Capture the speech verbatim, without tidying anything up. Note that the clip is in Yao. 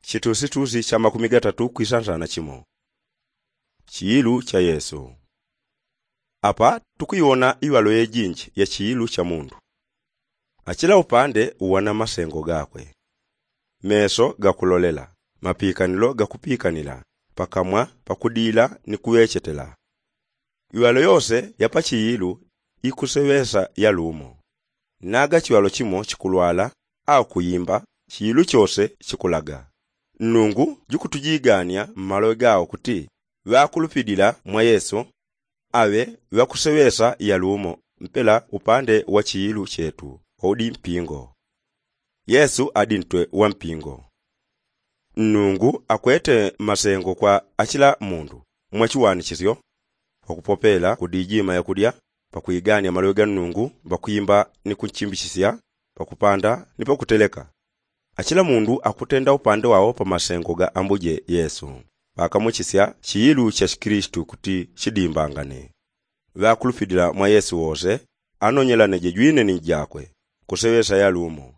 Chitusitusi cha makumi gatatu kwisansana chimo. Chiilu cha yesu. Apa tukuiwona iŵalo yejinji ya chiilu cha mundu. Achila upande uwana masengo gakwe. Meso gakulolela, mapikanilo gakupikanila, pakamwa pakudila ni kuŵechetela. Iŵalo yose ya pachiilu ikuseŵesa yalumo. Naga chiŵalo chimo chikulwala au kuyimba, chiilu chose chikulaga. Nnungu jukutujigania mmaloŵe gao kuti ŵakulupilila mwa yesu aŵe ŵakuseŵesa yalumo mpela upande wa chiilu chetu. Waudi mpingo. Yesu adi ntwe wa mpingo. Nnungu akwete masengo kwa achila mundu mwa chiwanichisyo, pakupopela kudijima yakudya, pakuigania maloŵe ga nnungu, pakuimba ni kunchimbichisya, pakupanda ni pakuteleka. Achila mundu akutenda upande wao pa masengo ga ambuje yesu. Pakamuchisya chiilu cha chikilisitu kuti chidimbangane. Ŵakulupilila mwa yesu wose anonyelaneje jwine ni jakwe, kuseŵesa yalumo.